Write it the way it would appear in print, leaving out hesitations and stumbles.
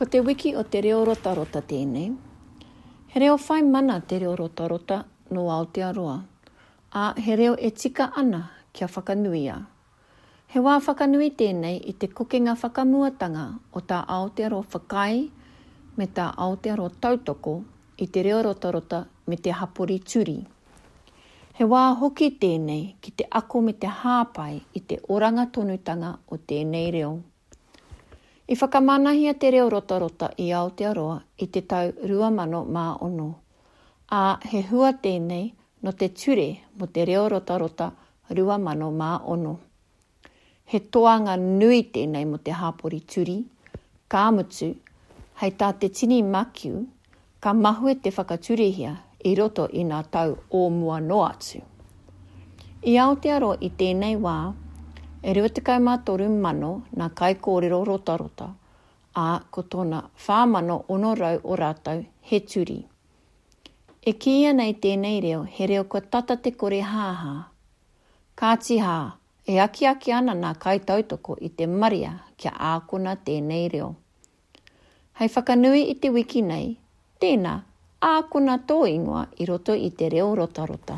Ko te wiki o te reo rotarota tēnei. He reo whai mana te reo rotarota nō Aotearoa, ā, he reo e tika ana kia whakanuia. He wā whakanui tēnei i te kokenga whakamuatanga o tā Aotearoa whakaae me tā Aotearoa tautoko i te reo rotarota me te hapori Turi. He wā hoki tēnei ki te ako me te hāpai i te oranga tonutanga o tēnei reo. I whakamanahia te reo rotarota i Aotearoa i te tau 2006, ā, he hua tēnei nō te Ture mō te Reo Rotarota 2006. He toanga nui tēnei mō te hapori Turi, ka mutu, hei tā te tini Makiu, ka mahue te whakaturehia i roto i nā tau o mua noa atu. I Aotearoa i tēnei wā, e 23 mano nā kaikōrero rotarota, ā, ko tōna 4,600 o rātou he Turi. E kīia nei tēnei reo he reo kua tata te kore hāhā. Kāti hā, e akiaki ana nā kaitautoko i te marea kia ākona tēnei reo. Hei whakanui i te wiki nei, tēnā, ākona tō ingoa i roto i te reo rotarota.